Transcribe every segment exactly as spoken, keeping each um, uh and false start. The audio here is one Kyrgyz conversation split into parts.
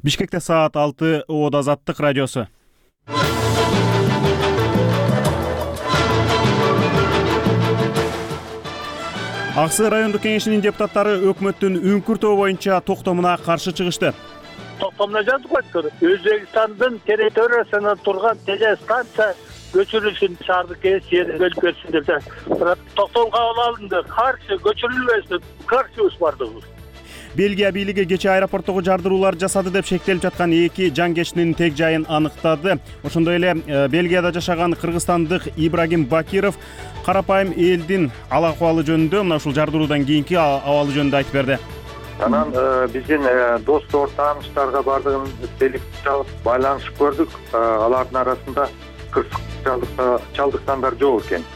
Бишкекте саат алты, Оод Азаттык радиосу. Ак Сай райондук кеңешинин депутаттары өкмөттүн үңкүртөө боюнча токтомуна каршы чыгышты. Токтомуна жазып койду. Өзбекстандын территориясынан турган телестанция көчүрүлсүн, шаардык кеңеш жерин бөлүп берсин деп. Бирок токтом кабыл алынды. Каршы көчүрүлбөсүн, каршыбыз бардыгыбыз. Бельгия бийлиги кечээ аэропорттогу жардыруулар жасады деп шектелип жаткан эки жангечтин тег жайын аныктады. Ошондой эле Бельгияда жашаган кыргызстандык Ибрагим Бакиров карапайым элдин ал акыбалы жөнүндө, мына ушул жардыруудан кийинки абалы жөнүндө айтып берди. Анан биздин достор, тааныштарга бардыгын телефон чалып байланышып көрдүк. Алардын арасында кырсык чалдыккандар жок экен.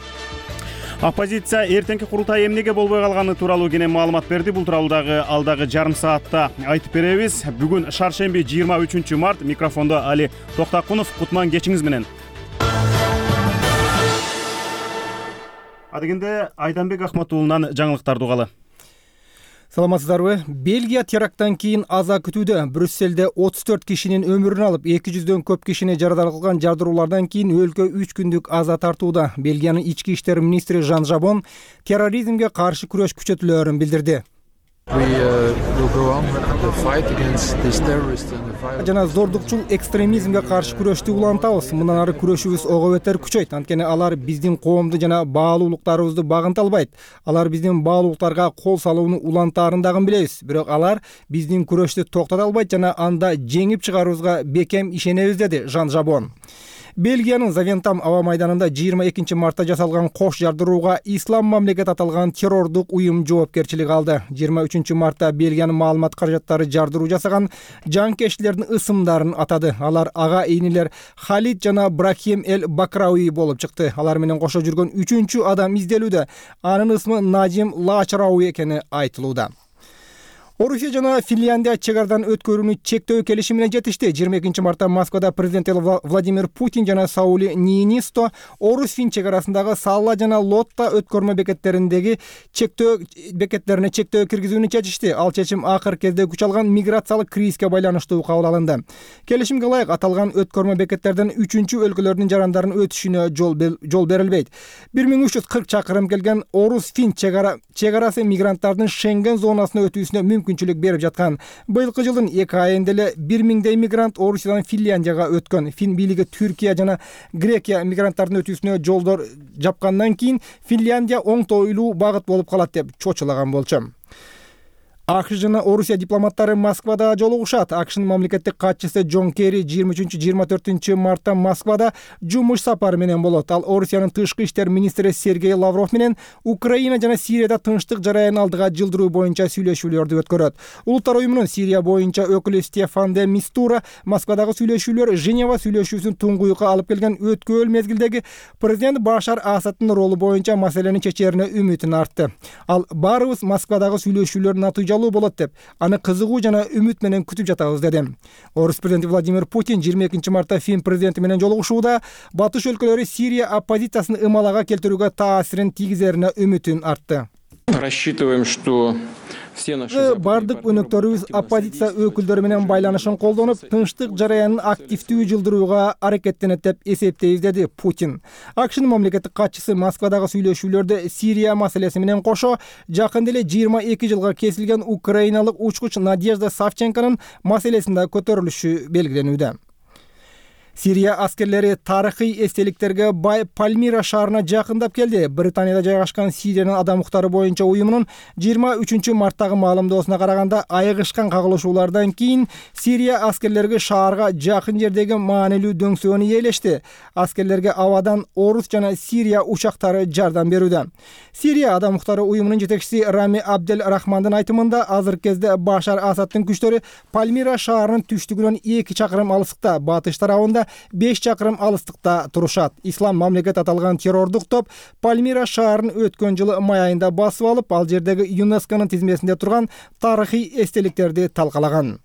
Оппозиция эртеңки курултай эмнеге болбой калганы тууралуу кенен маалымат берди. Бул тууралуу дагы алдагы жарым саатта айтып беребиз. Бүгүн шаршемби жыйырма үчүнчү март. Микрофондо Али Токтакунов. Кутман кечиңиз менен. Адегенде Айданбек Ахматуулунан жаңылыктарды угалы. Саламатсыздарбы? Бельгия теракттан кийин аза күтүүдө. Брюсселде отуз төрт кишинин өмүрүн алып, эки жүздөн көп кишини жарадар кылган жардыруулардан кийин өлкө үч күндүк аза тартууда. Бельгиянын ички иштер министри Жан Жабон терроризмге каршы күрөш күчөтүлөөрүн билдирди. Жана зордукчул экстремизмге каршы күрөштү улантабыз. Мындан ары күрөшүбүз ого бетер күчөйт. Анткени алар биздин коомду жана баалуулуктарыбызды багынта албайт. Алар биздин баалуулуктарга кол салууну улантаарын дагы билебиз. Бирок алар биздин күрөштү токтото албайт жана анда жеңип чыгарыбызга бекем ишенебиз, деди Жан Жабон. Бельгиянын Завентам аба майданында жыйырма экинчи мартта жасалган кош жардырууга Ислам мамлекет аталган террордук уюм жоопкерчилик алды. жыйырма үчүнчү мартта Бельгиянын маалымат каражаттары жардыруу жасаган жанкечтилердин ысымдарын атады. Алар агаийнилер Халид жана Брахим Эл Бакрауи болуп чыкты. Алар менен кошо жүргөн үчүнчү адам изделүүдө. Анын ысмы Надим Лачрауи экени айтылууда. Орусия жана Финляндия чек арадан өткөрүүнү чектөө келишимине жетишти. жыйырма экинчи мартта Москвада президент Владимир Путин жана Саули Ниинисто Орус-Фин чек арасындагы Салла жана Лотта өткөрмө бекеттериндеги чектөө бекеттерине чектөө киргизүүнү чечишти. Ал чечим акыркы кезде күч алган миграциялык кризиске байланыштуу кабыл алынды. Келишимге ылайык аталган өткөрмө бекеттерден үчүнчү өлкөлөрдүн жарандарын өтүшүнө жол берилбейт. бир миң үч жүз кырк чакырым келген Орус-Фин чек арасы мигранттардын Шенген зонасына өтүүсүнө мүмкүнчүлүк берип жаткан. Быйылкы жылдын эки айында эле бир миңдей мигрант Орусиядан Финляндияга өткөн. Фин бийлиги Түркия жана Грекия мигранттардын өтүүсүнө жолдор жапкандан кийин Финляндия оңтойлуу багыт болуп калат деп чочулаган болчу. АКШ жана Орусия дипломаттары Москвада жолугушат. АКШнын мамлекеттик катчысы Джон Керри жыйырма үчүнчү жыйырма төртүнчү мартта Москвада жумуш сапары менен болот. Ал Орусиянын тышкы иштер министри Сергей Лавров менен Украина жана Сирияда тынчтык жараянын алдыга жылдыруу боюнча сүйлөшүүлөрдү өткөрөт. Улуттар уюмунун Сирия боюнча өкүлү Стефан де Мистура Москвадагы сүйлөшүүлөр Женева сүйлөшүүсүн туңгуюкка алып келген өткөөл мезгилдеги президент Башар Асадтын ролу боюнча маселени чечерине үмүтүн артты. Ал баарыбыз Москвадагы сүйлөшүүлөр натыйжалуу болот деп, аны кызыгуу жана үмүт менен күтүп жатабыз, деди. Орус президенти Владимир Путин жыйырма экинчи мартта Фин президенти менен жолугушууда батыш өлкөлөрү Сирия оппозициясын ымалага келтирүүгө таасирин тийгизерине үмүтүн артты. Рассчитываем, что бардык өнөктөрүбүз оппозиция өкүлдөрү менен байланышын колдонуп, тынчтык жараянын активдүү жылдырууга аракеттенет деп эсептейбиз, деди Путин. АКШнын мамлекеттик катчысы Москвадагы сүйлөшүүлөрдө Сирия маселеси менен кошо жакында эле жыйырма эки жылга кесилген украиналык учкуч Надежда Савченконун маселесин да көтөрүлүшү белгиленүүдө. Сирия аскерлери тарыхый эстеликтерге бай Пальмира шаарына жакындап келди. Британияда жайгашкан Сириянын адам укуктары боюнча уюмунун жыйырма үчүнчү марттагы маалымдоосуна караганда, айыгышкан кагылышуулардан кийин Сирия аскерлери шаарга жакын жердеги маанилүү дөңсөөнү ээлешти. Аскерлерге абадан Орус жана Сирия учактары жардам берүүдө. Сирия адам укуктары уюмунун жетекчиси Рами Абдел Рахмандын айтымында, азыркы кезде Башар Асадтын күчтөрү Пальмира шаарынын түштүгүнөн эки чакырым алыстыкта, батыш тарабында беш чакырым алыстыкта турушат. Ислам мамлекет аталган террордук топ Пальмира шаарын өткөн жылы май айында басып алып, ал жердеги ЮНЕСКОнун тизмесинде турган тарыхый эстеликтерди талкалаган.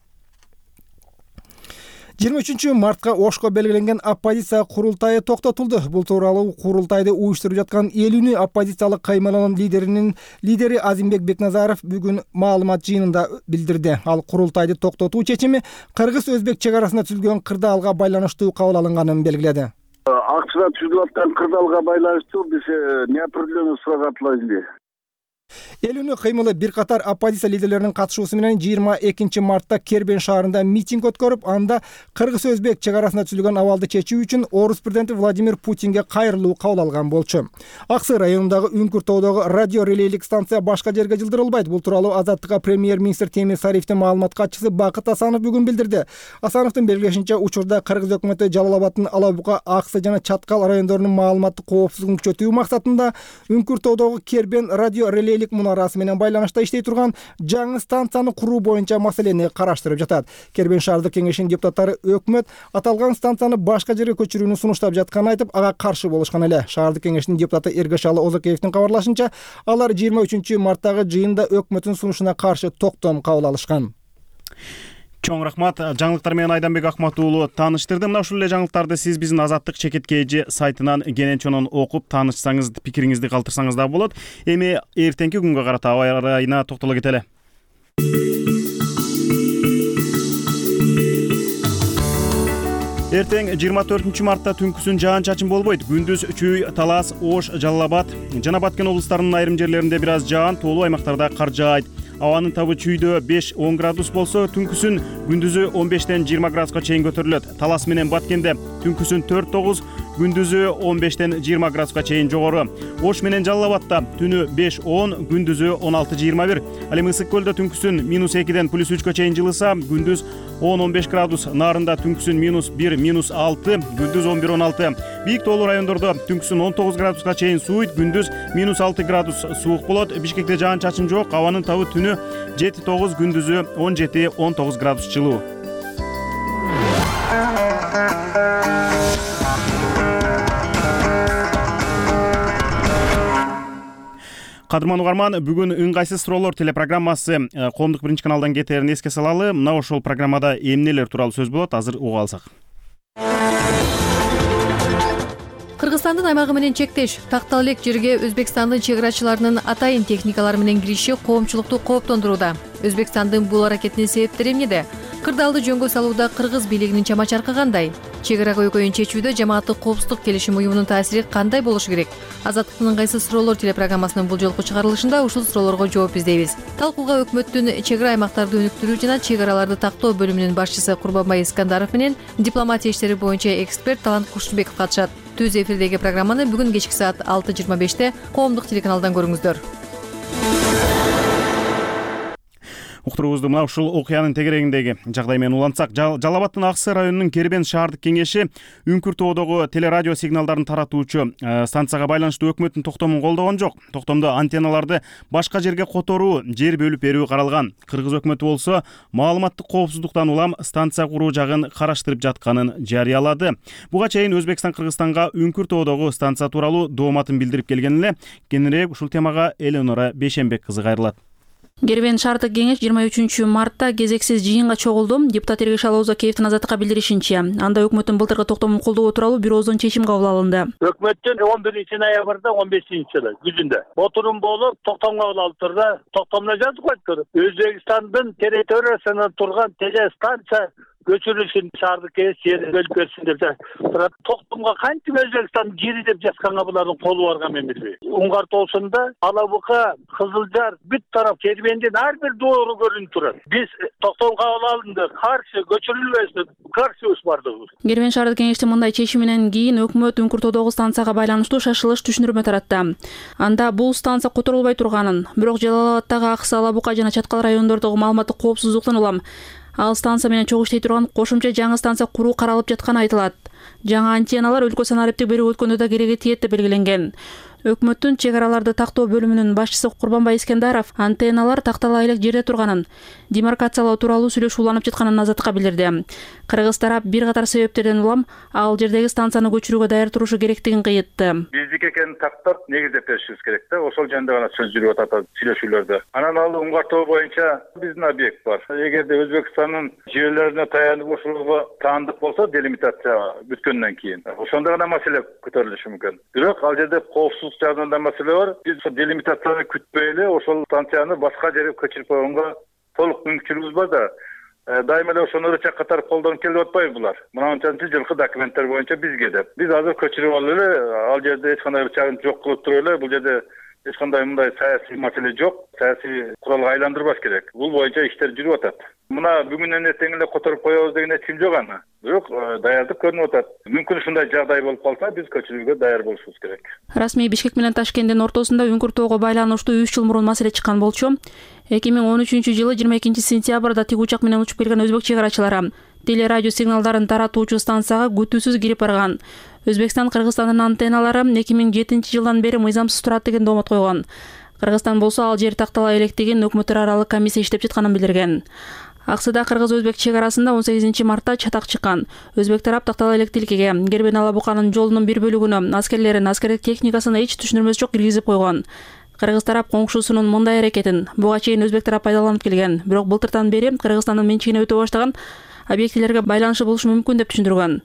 жыйырма үчүнчү мартка Ошко белгиленген оппозиция курултайы токтотулду. Бул тууралуу курултайды уюштуруп жаткан эл үнү оппозициялык каймананын лидеринин лидери Азимбек Бекназаров бүгүн маалымат жыйынында билдирди. Ал курултайды токтотуу чечими кыргыз-өзбек чек арасында түзүлгөн кырдаалга байланыштуу кабыл алынганын белгиледи. Акчада түзүлүп аткан кырдаалга байланыштуу биз неопределенный сурак атылат. Эл үнү кыймылы бир катар оппозиция лидерлеринин катышуусу менен жыйырма экинчи мартта Кербен шаарында митинг өткөрүп, анда кыргыз-өзбек чек арасында түзүлгөн абалды чечүү үчүн Орус президенти Владимир Путинге кайрылуу кабыл алган болчу. Аксы районундагы Үңкүр тоодогу радио релейлик станция башка жерге жылдырылбайт. Бул тууралуу Азаттыкка премьер-министр Темир Сариевдин маалымат катчысы Бакыт Асанов бүгүн билдирди. Асановдун белгилешинче, учурда Кыргыз өкмөтү Жалал Абадтын Ала Бука, Аксы жана Чаткал райондорунун маалыматтык коопсуздугун күчөтүү максатында Үңкүр тоодогу Кербен радио релейлик мунарасы менен байланышта иштей турган жаңы станцияны куруу боюнча маселени караштырып жатат. Кербен шаардык кеңешинин депутаттары өкмөт аталган станцияны башка жерге көчүрүүнү сунуштап жатканын айтып, ага каршы болушкан эле. Шаардык кеңештин депутаты Эргешалы Озакеевдин кабарлашынча, алар жыйырма үчүнчү марттагы жыйында өкмөттүн сунушуна каршы токтом кабыл алышкан. Чоң рахмат. Жаңылыктар менен Айданбек Акмат уулу тааныштырды. Мына ушул эле жаңылыктарды сиз биздин Азаттык чекиткейжи сайтынан кенен чонон окуп таанышсаңыз, пикириңизди калтырсаңыз да болот. Эми эртеңки күнгө карата аба ырайына токтоло кетели. Эртең жыйырма төртүнчү мартта түнкүсүн жаан-чачын болбойт. Күндүз Чүй, Талас, Ош, Жалал Абад жана Баткен облустарынын айрым жерлеринде бир аз жаан, тоолуу аймактарда кар жаайт. Абанын табы Чүйдө беш он градус болсо, түнкүсүн күндүзү он бештен жыйырма градуска чейин көтөрүлөт. Талас менен Баткенде түнкүсүн төрт тогуз, күндүзү он бештен жыйырма градуска чейин жогору. Ош менен Жалал Абадта түнү беш он, күндүзү он алты жыйырма бир. Ал эми Ысык көлдө түнкүсүн минус экиден плюс үчкө чейин жылыса, күндүз он он беш градус, Нарында түнкүсүн минус бир, минус алты, күндүз он бир он алты. Бийик тоолуу райондордо түнкүсүн он тогуз градуска чейин сууйт, күндүз минус алты градус суук болот. Бишкекте жаан-чачын жок, абанын табы түнү жети тогуз, күндүзү он жети он тогуз градус жылуу. Кадырман угарман, бүгүн ыңгайсыз суроолор телепрограммасы Коомдук биринчи каналдан кетерин эске салалы. Мына ошол программада эмнелер тууралуу сөз болот, азыр уга алсак. Кыргызстандын аймагы менен чектеш тактал элек жерге Өзбекстандын чек-арачыларынын атайын техникалары менен кириши коомчулукту кооптондурууда. Өзбекстандын бул аракетинин себептери эмнеде? Кырдаалды жөнгө салууда кыргыз бийлигинин чама-чаркы кандай? Чек-ара көйгөйүн чечүүдө жамааттык коопсуздук келишим уюмунун таасири кандай болушу керек? Азаттыктын ыңгайсыз суроолор телепрограммасынын бул жолку чыгарылышында ушул суроолорго жооп издейбиз. Талкууга өкмөттүн чек-ара аймактарды өнүктүрүү жана чек-араларды тактоо бөлүмүнүн башчысы Курбанбай Искандаров менен дипломатия иштери боюнча эксперт Талант Кушубеков катышат. Түз эфирдеги программаны бүгүн кечки саат алты жыйырма беште Коомдук телеканалдан көрүңүздөр. Уктуруубузду мына ушул окуянын тегерегиндеги жагдай менен улантсак, Жалал Абадтын Аксы районунун Кербен шаардык кеңеши Үңкүр тоодогу телерадио сигналдарын таратуучу станцияга байланыштуу өкмөттүн токтомун колдогон жок. Токтомдо антенналарды башка жерге которуу, жер бөлүп берүү каралган. Кыргыз өкмөтү болсо маалыматтык коопсуздуктан улам станция куруу жагын караштырып жатканын жарыялады. Буга чейин Өзбекстан Кыргызстанга Үңкүр тоодогу станция тууралуу дооматын билдирип келген эле. Кененирээк ушул темага Эленора Бейшенбек кызы кайрылат. Кербен шаардык кеңеш жыйырма үчүнчү мартта кезексиз жыйынга чогулду. Депутат Эргешалы Озакеевдин Азаттыкка билдиришинче, анда өкмөттүн былтыркы токтомун колдоо тууралуу бир ооздон чечим кабыл алынды. Өкмөттүн он биринчи ноябрда он бешинчи жылы күзүндө отурум болуп токтом кабыл алып турду. Токтомдо жазып койду. Өзбекстандын территориясында турган телестанция көчүрүлүшүн шаардык кеңеш жерин бөлүп берсин деп турат. Токтомго кантип Өзбекстан жери деп жатканга булардын колу барган мен билбейм. Уңгар тоосунда Ала Бука, Кызылжар бүт тарап Кербендин ар бир доору көрүнүп турат. Биз токтом кабыл алынды, каршы көчүрүлбөсүн, каршыбыз бардыгыбыз. Кербен шаардык кеңештин мындай чечиминен кийин өкмөт Үңкүр тоодогу станцияга байланыштуу шашылыш түшүндүрмө таратты. Анда бул станция которулбай турганын, бирок Жалал Абадтагы Аксы, Ала Бука жана Чаткал райондордогу маалыматтык коопсуздуктан улам ал станция менен чогуу иштей турган кошумча жаңы станция куруу каралып жатканы айтылат. Жаңы антенналар өлкө санариптик берүү өткөндө да кереги тиет деп белгиленген. Өкмөттүн чек араларды тактоо бөлүмүнүн башчысы Курбанбай Искендаров антенналар тактала элек жерде турганын, демаркациялоо тууралуу сүйлөшүү уланып жатканын азаттыкка билдирди. Кыргыз тарап бир катар себептерден улам ал жердеги станцияны көчүрүүгө даяр турушу керектигин кыйытты. Биздики экенин тактап негиздеп беришибиз керек да. Ошол жөнүндө гана сөз жүрүп атат сүйлөшүүлөрдө. Анан ал уңгартуу боюнча биздин объект бар. Эгерде Өзбекстандын жерлерине таянып ошого таандык болсо, делимитация бүткөндөн кийин ошондо гана маселе көтөрүлүшү мүмкүн. Бирок ал жерде коопсуздук жагынан да маселе бар. Биз делимитацияны күтпөй эле ошол станцияны башка жерге көчүрүп койгонго толук мүмкүнчүлүгүбүз бар да. Дайыма эле ошону чак катары колдонуп келип атпайбы булар? Мына анчанчы жылкы документтер боюнча бизге деп. Биз азыр көчүрүп алып эле ал жерде эч кандай чагым жок кылып туруп эле бул жерде эч кандай мындай саясий маселе жок, саясий куралга айландырбаш керек. Бул боюнча иштер жүрүп атат. Мына бүгүнөн эртең эле которуп коебуз деген эч ким жок аны. Бирок даярдык көрүнүп атат. Мүмкүн ушундай жагдай болуп калса, биз көчүрүүгө даяр болушубуз керек. Расмий Бишкек менен Ташкенттин ортосунда үңкүртөөгө байланыштуу үч жыл мурун маселе чыккан болчу. эки миң он үчүнчү жылы жыйырма экинчи сентябрда тик учак менен учуп келген өзбек чек арачылары теле радио сигналдарын таратуучу станцияга күтүүсүз кирип барган. Өзбекстан Кыргызстандын антенналары эки миң жетинчи жылдан бери мыйзамсыз турат деген доомот койгон. Кыргызстан болсо ал жер тактала электигин өкмөттөр аралык комиссия иштеп жатканын билдирген. Аксыда кыргыз-өзбек чек арасында он сегизинчи мартта чатак чыккан. Өзбек тарап тактала элек тилкеге Кербен Ала Буканын жолунун бир бөлүгүнө аскерлерин, аскердик техникасын эч түшүндүрмөсү жок киргизип койгон. Кыргыз тарап коңшусунун мындай аракетин буга чейин өзбек тарап пайдаланып келген. Бирок былтыртан бери Кыргызстандын менчигине өтө баштаган объектилерге байланышы болушу мүмкүн деп түшүндүргөн.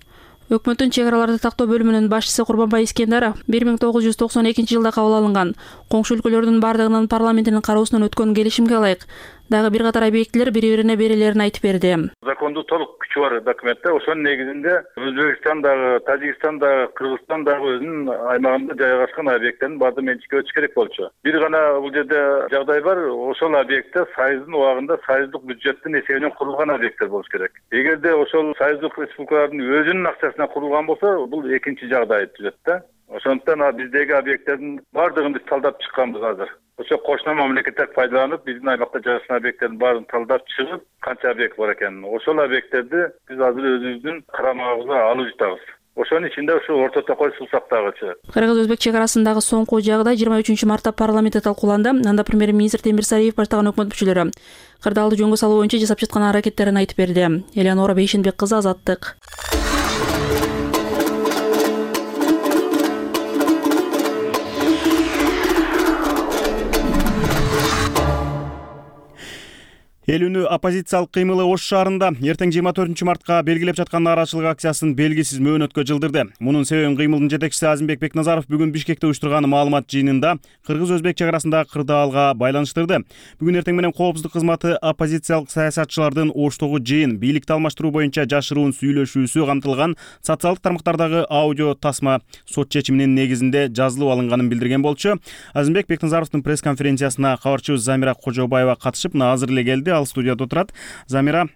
Өкмөттүн чек араларды тактоо бөлүмүнүн башчысы Курбанбай Искендаров бир миң тогуз жүз токсон экинчи жылда кабыл алынган коңшу өлкөлөрдүн бардыгынын парламентинин кароосунан өткөн келишимге ылайык дагы бир катар объектилер бири-бирине берилерин айтып берди. Закондуу толук күчү бар документте. Ошонун негизинде Өзбекстан дагы, Тажикстан дагы, Кыргызстан дагы өзүнүн аймагында жайгашкан объекттердин баардыгы менчикке өтүш керек болчу. Бир гана бул жерде жагдай бар. Ошол объектте Союздун убагында союздук бюджеттин эсебинен курулган объекттер болуш керек. Эгерде ошол союздук республикалардын өзүнүн акчасына курулган болсо, бул экинчи жагдай түзөт да. Ошондуктан биздеги объекттердин баардыгын биз талдап чыкканбыз азыр. Ошо кошуна мамлекеттер пайдаланып, биздин аймакта жайгашкан объекттердин баарын талдап чыгып, канча объект бар экенин, ошол объекттерди биз азыр өзүбүздүн карамагыбызга алып жатабыз. Ошонун ичинде ушу орто токой суу сактагычы. Кыргыз-өзбек чек арасындагы соңку жагдай жыйырма үчүнчү мартта парламентте талкууланды. Анда премьер-министр Темирсариев баштаган өкмөт мүчөлөрү кырдаалды жөнгө салуу боюнча жасап жаткан аракеттерин айтып берди. Элеонора Бейшенбек кызы, Азаттык. Эл үнү оппозициялык кыймылы Ош шаарында эртең жыйырма төртүнчү мартка белгилеп жаткан нааразычылык акциясын белгисиз мөөнөткө жылдырды. Мунун себебин кыймылдын жетекчиси Азимбек Бекназаров бүгүн Бишкекте уюштурган маалымат жыйынында кыргыз-өзбек чек арасындагы кырдаалга байланыштырды. Бүгүн эртең менен коопсуздук кызматы оппозициялык саясатчылардын Оштогу жыйын бийликти алмаштыруу боюнча жашыруун сүйлөшүүсү камтылган социалдык тармактардагы аудио тасма сот чечиминин негизинде жазылып алынганын билдирген болчу. Азимбек Бекназаровдун пресс-конференциясына кабарчыбыз Замира Кожобаева катышып, азыр эле келди. Ал студияда отурат. Замира,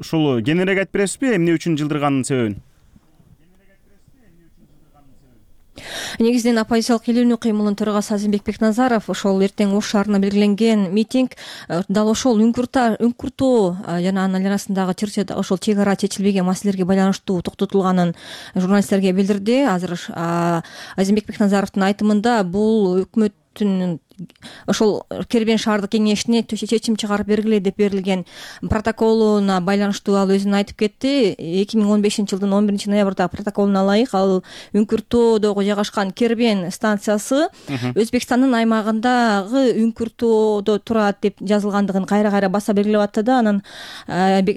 ушул кененирээк айтып бересизби, эмне үчүн жылдырганын себебин? Негизинен оппозициялык эл үнү кыймылынын төрагасы Азимбек Бекназаров ошол эртең Ош шаарына белгиленген митинг дал ошол үңкүртөө жана анын айланасындагы Чырчыда ошол чек ара чечилбеген маселелерге байланыштуу токтотулганын журналисттерге билдирди. Азыр Азимбек Бекназаровдун айтымында бул өкмөттүн ошол Кербен шаардык кеңешине чечим чыгарып бергиле деп берилген протоколуна байланыштуу ал өзүн айтып кетти. эки миң он бешинчи жылдын он биринчи ноябрда протоколуна ылайык ал үңкүртөөдөгү жайгашкан Кербен станциясы Өзбекстандын аймагындагы үңкүртөөдө турат деп жазылгандыгын кайра кайра баса белгилеп атты да. Анан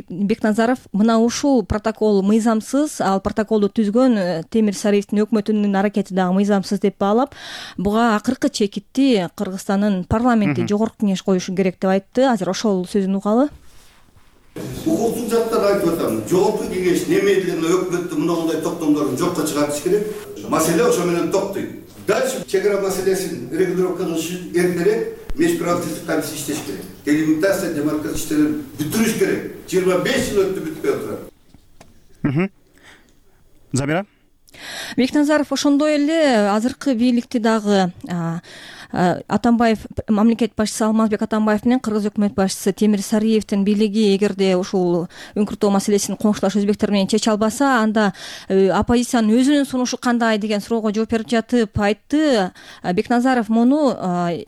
Бекназаров мына ушул протокол мыйзамсыз, ал протоколду түзгөн Темирсариевдин өкмөтүнүн аракети дагы мыйзамсыз деп баалап, буга акыркы чекитти Кыргызстандын парламенти жогорку кеңеш коюшу керек деп айтты. Азыр ошол сөзүн угалы. Укуктук жактан айтып атам. Жогорку кеңеш немедленно өкмөттүн мындай токтомдорун жокко чыгарыш керек. Маселе ошо менен токтойт. Дальше чек ара маселесин регулировка кылыш үчүн эртерээк межправительствик комиссия иштеш керек. Делимитация, демаркация иштерин бүтүрүш керек. жыйырма беш жыл өттү, бүтпөй отурат. Замира? Бекназаров ошондой эле азыркы бийликти дагы Атамбаев, мамлекет башчысы Алмазбек Атамбаев менен кыргыз өкмөт башчысы Темир Сариевдин бийлиги эгерде ушул үңкүртөө маселесин коңшулаш өзбектер менен чече албаса, анда оппозициянын өзүнүн сунушу кандай деген суроого жооп берип жатып айтты. Бекназаров муну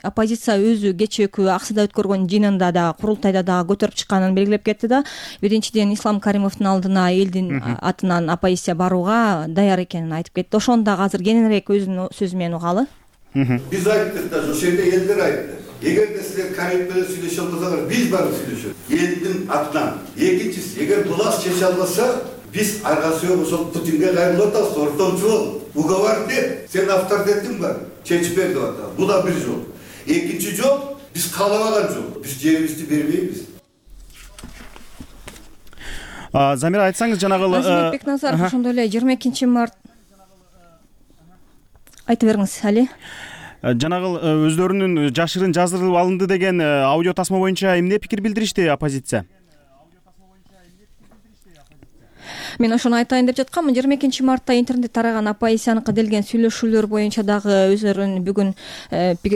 оппозиция өзү кечээкү Аксыда өткөргөн жыйынында да, курултайда да көтөрүп чыкканын белгилеп кетти да. Биринчиден Ислам Каримовдун алдына элдин атынан оппозиция барууга даяр экенин айтып кетти. Ошону дагы азыр кененирээк өзүнүн сөзү менен угалы. Биз айттык да, ошол жерде элдер айтты. Эгерде силер Каримов менен сүйлөшө албасаңар, биз барып сүйлөшөбүз. Элдин атынан. Экинчиси, эгер булар чече албаса, биз арга сүйөп ошол Путинге кайрылып атабыз, ортомчу бол. Уговор деп, сен авторитетиң бар, чечип бер деп атабыз. Бул да бир жол. Экинчи жол, биз каалабаган жол. Биз жерибизди бербейбиз. Замира, айтсаңыз жанагы Азимбек Бекназаров ошондой эле жыйырма экинчи март айта бериңиз, Али. Жанагы өздөрүнүн жашырын жаздырылып алынды деген аудио тасма боюнча эмне пикир билдиришти оппозиция? Мен ошону айтайын деп жатканмын. жыйырма экинчи мартта интернет тараган оппозицияныкы делген сүйлөшүүлөр боюнча дагы өздөрүнүн бүгүн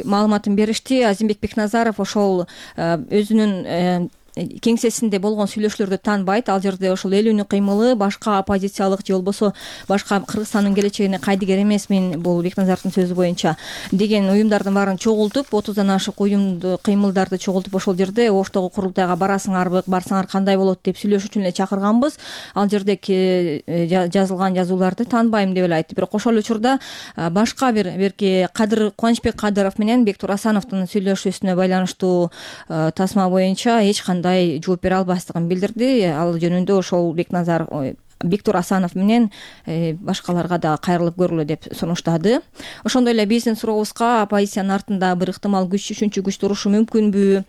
маалыматын беришти. Азимбек Бекназаров ошол өзүнүн кеңсесинде болгон сүйлөшүүлөрдү таанбайт. Ал жерде ошол эл үнү кыймылы башка оппозициялык же болбосо башка Кыргызстандын келечегине кайдыгер эмесмин, бул Бекназаровдун сөзү боюнча деген уюмдардын баарын чогултуп, отуздан ашык уюмду кыймылдарды чогултуп ошол жерде Оштогу курултайга барасыңарбы, барсаңар кандай болот деп сүйлөшүү үчүн эле чакырганбыз. Ал жердеги жазылган жазууларды таанбайм деп эле айтты. Бирок ошол учурда башка бир берки Кадыр Кубанычбек Кадыров менен Бектур Асановдун сүйлөшүүсүнө байланыштуу тасма боюнча эч кандай жооп бере албастыгын билдирди. Ал жөнүндө ошол Бекназаров, Бектур Асанов менен башкаларга да кайрылып көргүлө деп сунуштады. Ошондой эле биздин сурообузга оппозициянын артында бир ыктымал күч, үчүнчү күч турушу мүмкүнбү,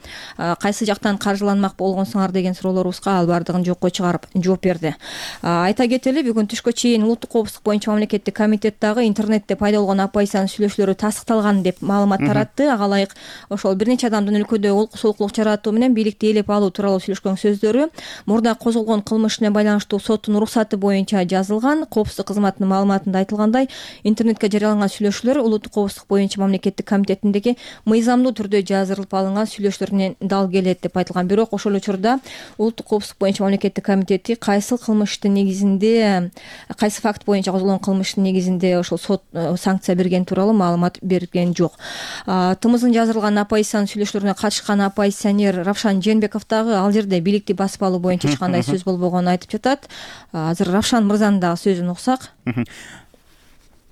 кайсы жактан каржыланмак болгонсуңар деген суроолорубузга ал баардыгын жокко чыгарып жооп берди. Айта кетели, бүгүн түшкө чейин улуттук коопсуздук боюнча мамлекеттик комитет дагы интернетте пайда болгон оппозициянын сүйлөшүүлөрү тастыкталган деп маалымат таратты. Ага ылайык ошол бир нече адамдын өлкөдө олку солкулук жаратуу менен бийликти ээлеп алуу тууралуу сүйлөшкөн сөздөрү мурда козголгон кылмышына байланыштуу соттун уруксаты боюнча жазылган. Коопсуздук кызматынын маалыматында айтылгандай, интернетке жарыяланган сүйлөшүүлөр улуттук коопсуздук боюнча мамлекеттик комитетиндеги мыйзамдуу түрдө жаздырылып алынган сүйлөшүүлөрүнөн дал келет деп айтылган. Бирок ошол учурда улуттук коопсуздук боюнча мамлекеттик комитети кайсы кылмыштын негизинде, кайсы факт боюнча козголгон кылмыштын негизинде ошол сот санкция берген тууралуу маалымат берген жок. Тымыздын жаздырылган оппозициянын сүйлөшүүлөрүнө катышкан оппозиционер Равшан Жээнбеков дагы ал жерде бийликти басып алуу боюнча эч кандай сөз болбогонун айтып жатат. Азыр Равшан мырзанын дагы сөзүн уксак.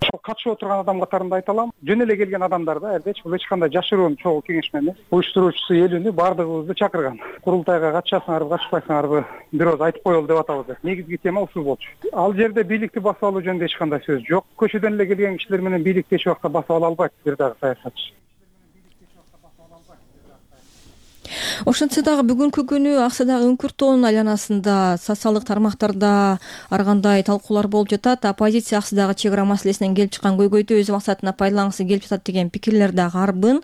Ошол катышып отурган адам катарында айта алам. Жөн эле келген адамдар да, элбетчи бул эч кандай жашыруун чогуу кеңешме эмес. Уюштуруучусу эл үнү баардыгыбызды чакырган. Курултайга катышасыңарбы, катышпайсыңарбы бир ооз айтып коелу деп атабыз. Негизги тема ушул болчу. Ал жерде бийликти басып алуу жөнүндө эч кандай сөз жок. Көчөдөн эле келген кишилер менен бийликти эч убакта басып ала албайт бир дагы саясатчы. Ошентсе дагы бүгүнкү күнү Аксыдагы үңкүртөөнүн айланасында социалдык тармактарда ар кандай талкуулар болуп жатат. Оппозиция Аксыдагы чек ара маселесинен келип чыккан көйгөйдү өз максатына пайдалангысы келип жатат деген пикирлер дагы арбын.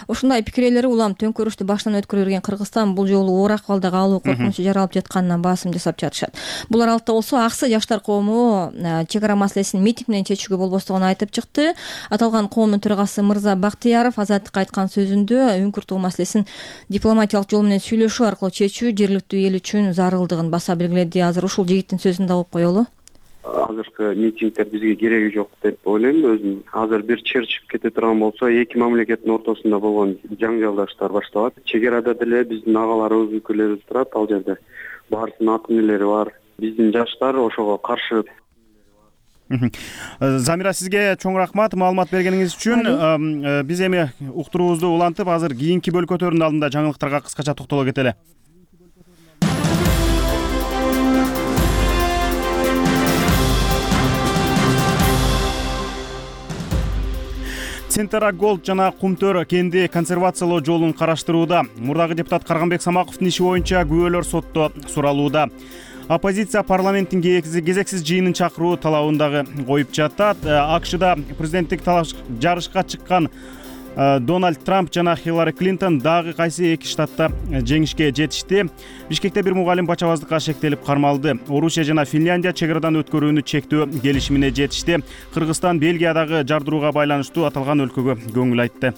Ошондой пикирлери улам төңкөрүштү баштан өткөрө берген Кыргызстан бул жолу оор акыбалда калуу коркунучу жаралып жатканына басым жасап жатышат. Бул аралыкта болсо Аксы жаштар коому чек ара маселесин митинг менен чечүүгө болбостугун айтып чыкты. Аталган коомдун төрагасы Мырза Бактыяров Азаттыкка айткан сөзүндө үңкүртөө маселесин дипломатиялык жол менен сүйлөшүү аркылуу чечүү жергиликтүү эл үчүн зарылдыгын баса белгиледи. Азыр ушул жигиттин сөзүн да угуп коелу. Азыркы митингдер бизге кереги жок деп ойлойм өзүм. Азыр бир чыр чыгып кете турган болсо, эки мамлекеттин ортосунда болгон жаңжалдаштар башталат. Чек арада деле биздин агаларыбыз, өлкөлөрүбүз турат. Ал жерде баарысынын ат эмнелери бар. Биздин жаштар ошого каршы. Замира, сизге чоң рахмат маалымат бергениңиз үчүн. Биз эми уктуруубузду улантып, азыр кийинки бөлкөтөрдүн алдында жаңылыктарга кыскача токтоло кетели. Центра Голд жана Кумтөр кенди консервациялоо жолун караштырууда. Мурдагы депутат Карганбек Самаковдун иши боюнча күбөлөр сотто суралууда. Оппозиция парламенттин кезексиз жыйынын чакыруу талабын дагы коюп жатат. АКШда президенттик жарышка чыккан Дональд Трамп жана Хиллари Клинтон дагы кайсы эки штатта жеңишке жетишти. Бишкекте бир мугалим бачабаздыкка шектелип кармалды. Орусия жана Финляндия чек арадан өткөрүүнү чектөө келишимине жетишти. Кыргызстан Бельгиядагы жардырууга байланыштуу аталган өлкөгө көңүл айтты.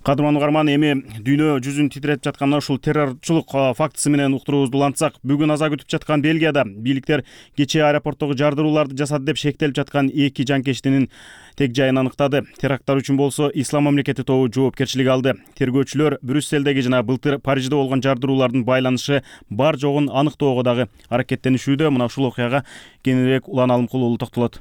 Кадырман угарман, эми дүйнө жүзүн титиретип жаткан ушул террорчулук фактысы менен уктуруубузду улантсак, бүгүн аза күтүп жаткан Бельгияда бийликтер кечээ аэропорттогу жардырууларды жасады деп шектелип жаткан эки жанкечтинин тег жайын аныктады. Теракттар үчүн болсо Ислам мамлекети тобу жоопкерчилик алды. Тергөөчүлөр Брюсселдеги жана былтыр Парижде болгон жардыруулардын байланышы бар жогун аныктоого дагы аракеттенишүүдө. Мына ушул окуяга кененирээк Улан Алымкулуу токтолот.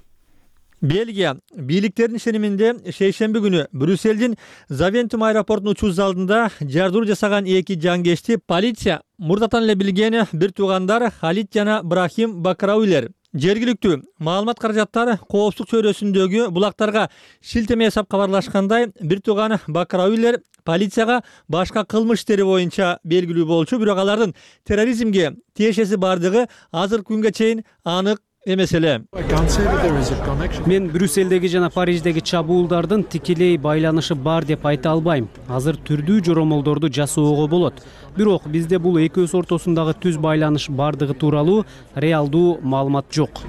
Бельгия бийликтердин ишениминде шейшемби күнү Брюссельдин Завентум аэропортунун учуу залында жардыруу жасаган эки жангечти полиция мурдатан эле билген бир туугандар Халид жана Брахим Бакрауилер. Жергиликтүү маалымат каражаттар коопсуздук чөйрөсүндөгү булактарга шилтеме жасап кабарлашкандай, бир тууган Бакрауилер полицияга башка кылмыш иштери боюнча белгилүү болчу, бирок алардын терроризмге тиешеси бардыгы азыркы күнгө чейин анык эмес эле. Мен Брюссельдеги жана Париждеги чабуулдардын тикелей байланышы бар деп айта албайм. Азыр түрдүү жоромолдорду жасоого болот. Бирок бизде бул экөөсү ортосундагы түз байланыш бардыгы тууралуу реалдуу маалымат жок,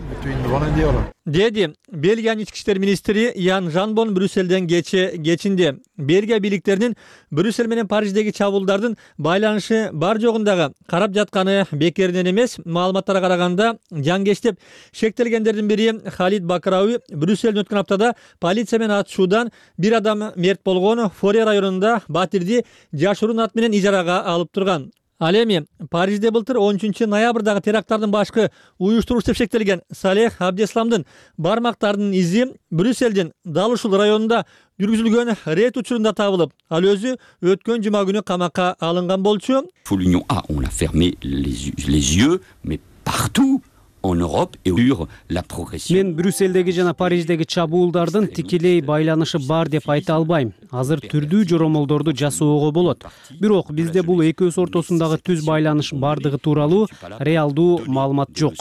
деди Бельгиянын ички иштер министри Ян Жанбон Брюссельден кече кечинде. Бельгия бийликтеринин Брюссель менен Париждеги чабуулдардын байланышы бар жогундагы карап жатканы бекеринен эмес. Маалыматтарга караганда, жангештеп шектелгендердин бири Халид Бакрауи Брюссельден өткөн аптада полиция менен атышуудан бир адам мерт болгон. Форе районунда батирди жашыруун ат менен ижарага алып турган. Ал эми Парижде былтыр он үчүнчү ноябрдагы теракттардын башкы уюштуруучусу деп шектелген Салех Абдесламдын бармактарынын изи Брюссельдин дал ушул районунда жүргүзүлгөн рейд учурунда табылып, ал өзү өткөн жума күнү камакка алынган болчу. L'Union A, on a fermé les yeux, mais partout en Europe et sur la progression. Мен Брюссельдеги жана Париждеги чабуулдардын тикелей байланышы бар деп айта албайм. Азыр түрдүү жоромолдорду жасоого болот. Бирок бизде бул экөөсү ортосундагы түз байланыш бардыгы тууралуу реалдуу маалымат жок,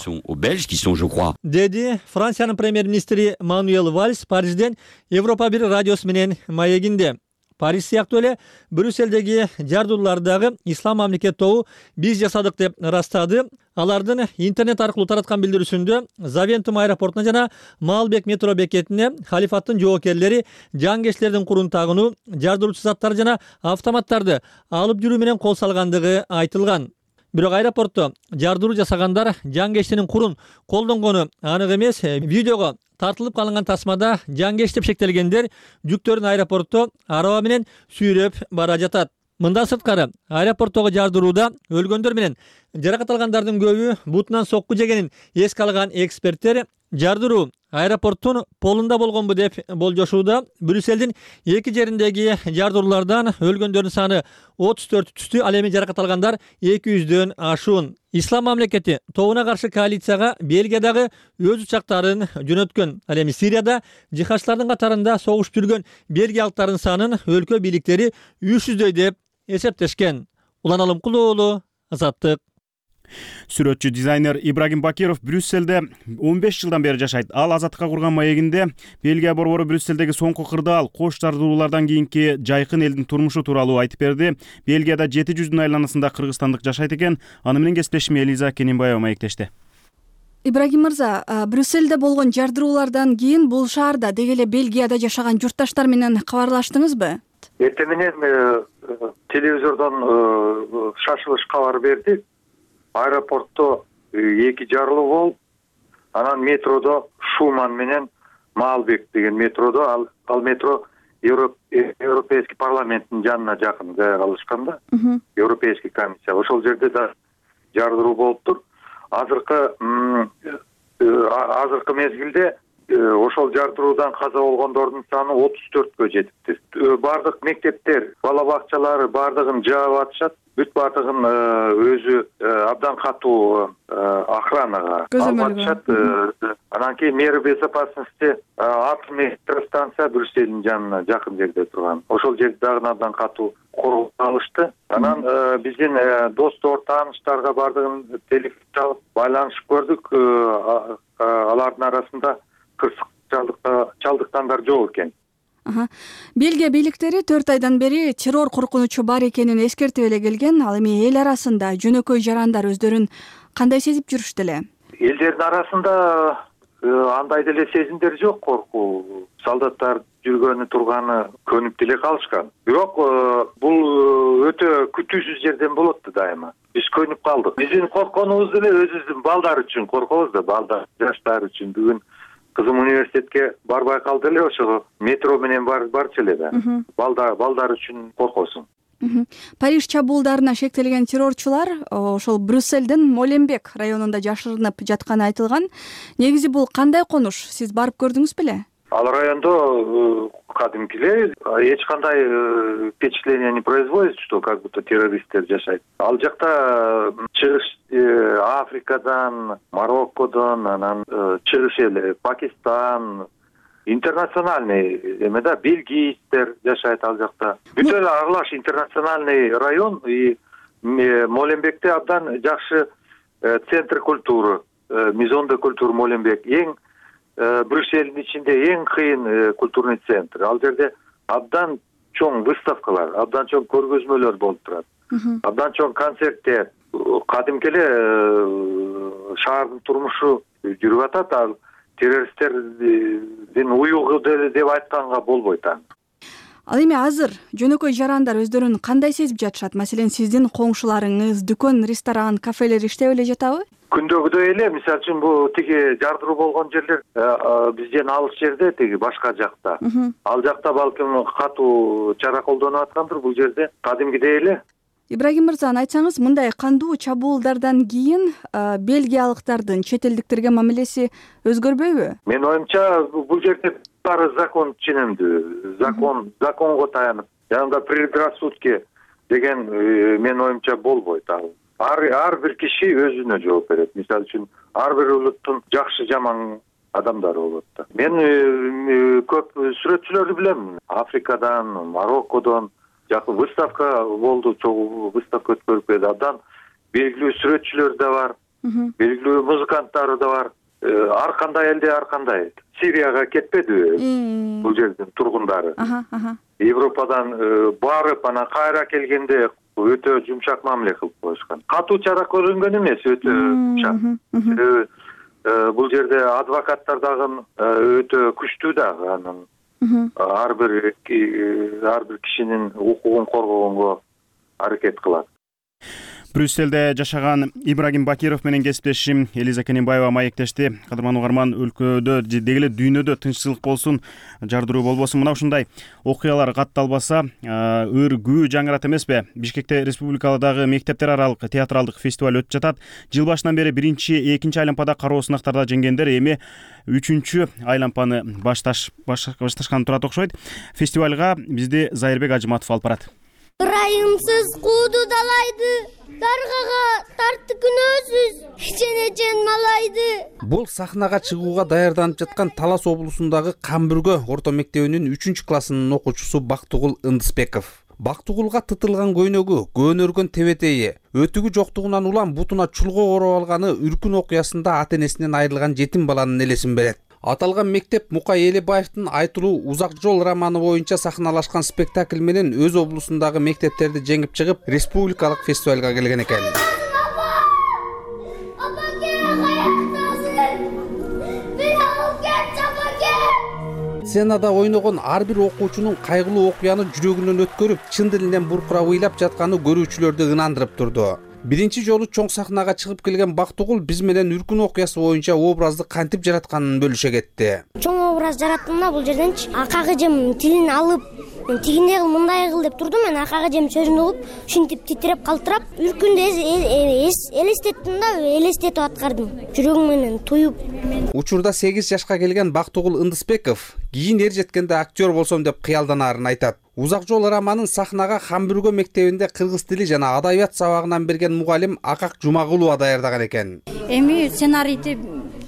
деди Франциянын премьер-министри Мануэл Вальс Парижден Европа бир радиосу менен маегинде. Париж сыяктуу эле Брюссельдеги жардыруулардагы Ислам мамлекет тобу биз жасадык деп ырастады. Алардын интернет аркылуу тараткан билдирүүсүндө Завентум аэропортуна жана Маалбек метро бекетине халифаттын жоокерлери жангечтердин курун тагынуу, жардыруучу заттар жана автоматтарды алып жүрүү менен кол салгандыгы айтылган. Бирок аэропортто жардыруу жасагандар жангечтинин курун колдонгону анык эмес. Видеого тартылып калынган тасмада жангеч деп шектелгендер жүктөрүн аэропортто араба менен сүйрөп бара жатат. Мындан сырткары, аэропорттогу жардырууда өлгөндөр менен жаракат алгандардын көбү бутунан сокку жегенин эске алган эксперттер жардыруу аэропорттун полунда болгонбу деп болжошууда. Брюссельдин эки жериндеги жардыруулардан өлгөндөрдүн саны отуз төрт түштү, ал эми жаракат алгандар эки жүздөн ашуун. Ислам мамлекети тобуна каршы коалицияга Бельгиядагы өз учактарын жөнөткөн. Ал эми Сирияда жихадчылардын катарында согушуп жүргөн бельгиялыктардын санын өлкө бийликтери үч жүздөй деп эсептешкен. Улан Алымкулуу уулу, Азаттык. Сүрөтчү дизайнер Ибрагим Бакиров Брюссельде он беш жылдан бери жашайт. Ал Азаттыкка курган маегинде Бельгия борбору Брюссельдеги соңку кырдаал кош жардыруулардан кийинки жайкын элдин турмушу тууралуу айтып берди. Бельгияда жети жүздүн айланасында кыргызстандык жашайт экен. Аны менен кесиптешим Элиза Кененбаева маектешти. Ибрагим мырза, Брюссельде болгон жардыруулардан кийин бул шаарда деги эле Бельгияда жашаган журтташтар менен кабарлаштыңызбы? Эртең менен телевизордон шашылыш кабар берди. Аэропортто эки жарылуу болуп, анан метродо Шуман менен Маалбек деген метродо, ал, ал метро Европейский парламенттин жанына жакын жайга алышкан да. Европейский комиссия. Ошол жерде да жардыруу болуптур. Азыркы азыркы мезгилде ошол жардыруудан каза болгондордун саны отуз төрткө жетиптир. Бардык мектептер, бала бакчалары бардыгын жаап атышат. Бүт бардыгын өзү абдан катуу охранага алып атышат. Анан кийин мера безопасности атомный электростанция Брюссельдин жанына жакын жерде турган. Ошол жерде дагы абдан катуу коргоп алышты. Анан биздин достор, тааныштарга бардыгын телефон чалып байланышып көрдүк. Алардын арасында кырсык чалдыккандар жок экен. Бельгия бийликтери төрт айдан бери террор коркунучу бар экенин эскертип эле келген. Ал эми эл арасында жөнөкөй жарандар өздөрүн кандай сезип жүрүштү эле? Элдердин арасында андай деле сезимдер жок, коркуу. Солдаттар жүргөнү турганы көнүп деле калышкан. Бирок бул өтө күтүүсүз жерден болот да дайыма. Биз көнүп калдык. Биздин коркконубуз деле өзүбүздүн балдар үчүн коркобуз да, балдар, жаштар үчүн. Бүгүн кызым университетке барбай калды эле, ошого метро менен бар барчу эле да. Балдар, балдар үчүн коркосуң. Париж чабуулдарына шектелген террорчулар ошол Брюссельдин Моленбек районунда жашырынып жатканы айтылган. Негизи бул кандай конуш? Сиз барып көрдүңүз беле? Ал райондо кадимки эле эч кандай впечатление не производит, что как будто террористтер жашайт. Ал жакта чыгыш Африкадан, Мароккодон, анан чыгыш эле Пакистан, интернациональный эме да, бельгийликтер жашайт ал жакта. Бүтө эле аралаш интернациональный район. И Моленбекте абдан жакшы центр культуры, Maison de Culture Моленбек. Эң Брюссельдин ичинде эң кыйын культурный центр. Ал жерде абдан чоң выставкалар, абдан чоң көргөзмөлөр болуп турат. Абдан чоң концерттер. Кадимки эле шаардын турмушу жүрүп атат. Ал террористтердин уюгу деп айтканга болбойт. Ал эми азыр жөнөкөй жарандар өздөрүн кандай сезип жатышат? Маселен, сиздин коңшуларыңыз, дүкөн, ресторан, кафелер иштеп эле жатабы? Күндөгүдөй эле, мисалы үчүн бул тиги жардыруу болгон жерлер бизден алыс жерде, тиги башка жакта. Ал жакта балким катуу чара колдонуп аткандыр, бул жерде кадимгидей эле. Ибрагим мырза, айтсаңыз, мындай кандуу чабуулдардан кийин бельгиялыктардын чет элдиктерге мамилеси өзгөрбөйбү? Менин оюмча, бул жерде баары закон ченемдүү, закон, законго таянып, жанагы предрассудки деген менин оюмча болбойт. Ар ар бир киши өзүнө жооп берет. Мисалы үчүн, ар бир улуттун жакшы жаман адамдары болот да. Мен көп сүрөтчүлөрдү билем. Африкадан, Мароккодон жакы выставка болду, чогуу выставка өткөрүп келди. Абдан белгилүү сүрөтчүлөр да бар, белгилүү музыканттар да бар. Ар кандай элде ар кандай. Сирияга кетпедиби бул жердин тургундары? Европадан барып, анан кайра келгенде өтө жумшак мамиле кылып коюшкан. Катуу чара көрүнгөн эмес, өтө жумшак. Бул жерде адвокаттар дагы өтө күчтүү дагы, анан ар бир ар бир кишинин укугун коргогонго аракет кылат. Брюссельде жашаган Ибрагим Бакиров менен кесиптешим Элиза Кененбаева маектешти. Кадырман угарман, өлкөдө деги эле дүйнөдө тынччылык болсун, жардыруу болбосун. Мына ушундай окуялар катталбаса, ыр күү жаңырат эмеспи? Бишкекте республикадагы мектептер аралык театралдык фестиваль өтүп жатат. Жыл башынан бери биринчи, экинчи айлампада кароо сынактарда жеңгендер эми үчүнчү айлампаны башташ башташканы турат окшойт. Фестивалга бизди Зайырбек Ажыматов алып барат. Ырайымсыз кууду далайды, даргага тартты күнөөсүз, ченечен малайды. Бул сахнага чыгууга даярданып жаткан Талас облусундагы Камбүргө орто мектебинин үчүнчү классынын окуучусу Бактыгул Ындысбеков. Бактыгулга тытылган көйнөгү, көөнөргөн тебетейи, өтүгү жоктугунан улам бутуна чулго ороп алганы үркүн окуясында ата энесинен айрылган жетим баланын элесин берет. Аталган мектеп Мукай Элебаевдин Айтылуу Узак жол романы боюнча сахналашкан спектакль менен өз облусундагы мектептерди жеңип чыгып, республикалык фестивалга келген экен. Сценада ойногон ар бир окуучунун кайгылуу окуяны жүрөгүнөн өткөрүп, чын дилинен буркурап ыйлап жатканы көрүүчүлөрдү ынандырып турду. Биринчи жолу чоң сахнага чыгып келген Бактыгул биз менен үркүн окуясы боюнча образды кантип жаратканын бөлүшө кетти. Чоң образ жараттым да, бул жерденчи акагы жем тилин алып, мен тигиндей кыл, мындай кыл деп турдум. Мен акагы жем сөзүн угуп, ушинтип титиреп калтырап, үркүндү элестеттим да, элестетип аткардым. Жүрөгүм менен туюп. Учурда сегиз жашка келген Бактыгул Ындысбеков кийин эр жеткенде актер болсом деп кыялданарын айтат. Узак жол романын сахнага Камбүргө мектебинде кыргыз тили жана адабият сабагынан берген мугалим Акак Жумагулова даярдаган экен. Эми сценарийди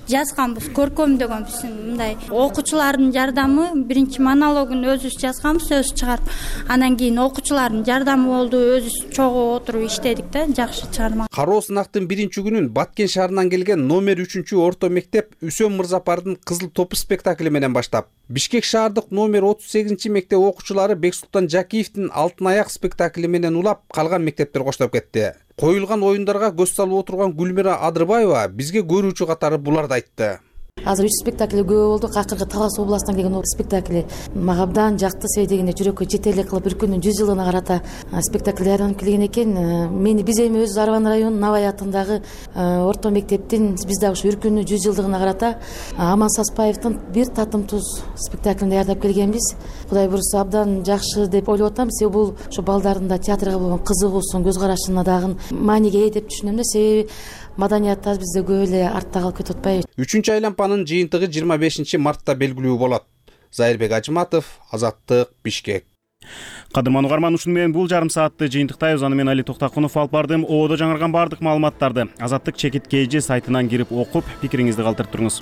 жазганбыз, көркөмдөгөнбүз. Мындай окуучулардын жардамы, биринчи монологун өзүбүз жазганбыз, өзүбүз чыгарып, анан кийин окуучулардын жардамы болду, өзүбүз чогуу отуруп иштедик да, жакшы чыгарма. Кароо сынактын биринчи күнүн Баткен шаарынан келген номер үчүнчү орто мектеп Үсөн Мырзапардын Кызыл топу спектакли менен баштап, Бишкек шаардык номер отуз сегизинчи мектеп окуучулары Бексултан Жакиевдин Алтын аяк спектакли менен улап, калган мектептер коштоп кетти. Коюлган оюндарга көз салып отурган Гүлмира Адырбаева бизге көрүүчү катары буларды айтты. азыр үч спектакль көп болду. Акыркы Талас областынан келген спектакль мага абдан жакты. Себеби дегенде жүрөккө жетерлик кылып Үркүндүн жүз жылдыгына карата спектакль даярданып келген экен. Мени биз эми өзүбүз Арбан районунун Набай атындагы орто мектептин биз дагы ушу Үркүндүн жүз жылдыгына карата Аман Саспаевдин бир татым туз спектаклин даярдап келгенбиз. Кудай буюрса абдан жакшы деп ойлоп атам. Себеби бул ошо балдардын да театрга болгон кызыгуусун, көз карашына дагы мааниге ээ деп түшүнөм да. Себеби маданиятыбыз бизде көп эле артта калып кетип атпайбы. Үчүнчү айлампанын жыйынтыгы жыйырма бешинчи мартта белгилүү болот. Зайырбек Ажыматов, Азаттык, Бишкек. Кадырман угарман, ушуну менен бул жарым саатты жыйынтыктайбыз. Аны мен Али Токтакунов алып бардым. Ободо жаңырган баардык маалыматтарды Азаттык чекит кей жи сайтынан кирип окуп, пикириңизди калтырып туруңуз.